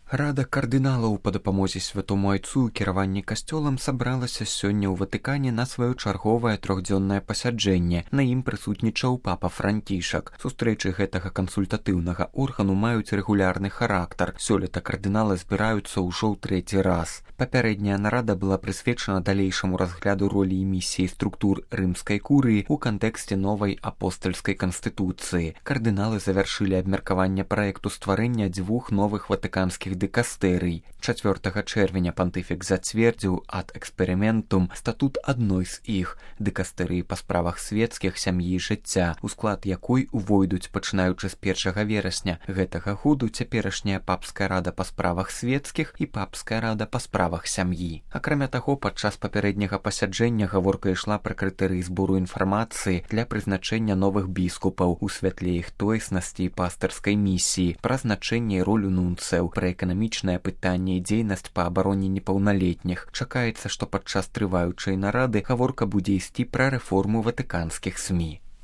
Рада кардыналаў па дапамозе святому айцу і кіраванні касцёлам сабралася сёння ў Ватыкане на сваё чарговае трохдзённае пасяджэнне. На ім прысутнічаў папа Францішак. Сустрэчы гэтага кансультатыўнага органу маюць рэгулярны характар. Сёлета кардыналы збіраюцца ўжо ў трэці раз. Папярэдняя нарада была прысвечана далейшаму разгляду ролі і місіі структур рымскай курыі ў кантэксце новай апостальскай канстытуцыі. Кардыналы завяршылі абмеркаванне праекту стварэння дзвюх новых ватыканскіх дыкастэрый. 4 чэрвеня пантыфік зацвердзіў ад эксперыментум статут адной з іх – дыкастэрыі па справах свецкіх, сям'і і жыцця, у склад якой увойдуць, пачынаючы з 1 верасня гэтага году, цяперашняя папская рада па справах свецкіх і папская рада па справах сям'і. Акрамя таго, падчас папярэдняга пасяджэння гаворка ішла пра крытэрыі збору інфармацыі для прызначэння новых біскупаў у святле іх тоеснасці і пастырскай місіі, пра значэнне і ролю нунцэў, пра эканамічнае пытанне і дзейнасць па абароне непаўналетніх. Чакаецца, што падчас трываючай нарады гаворка будзе ісці пра рэформу ватыканскіх СМІ.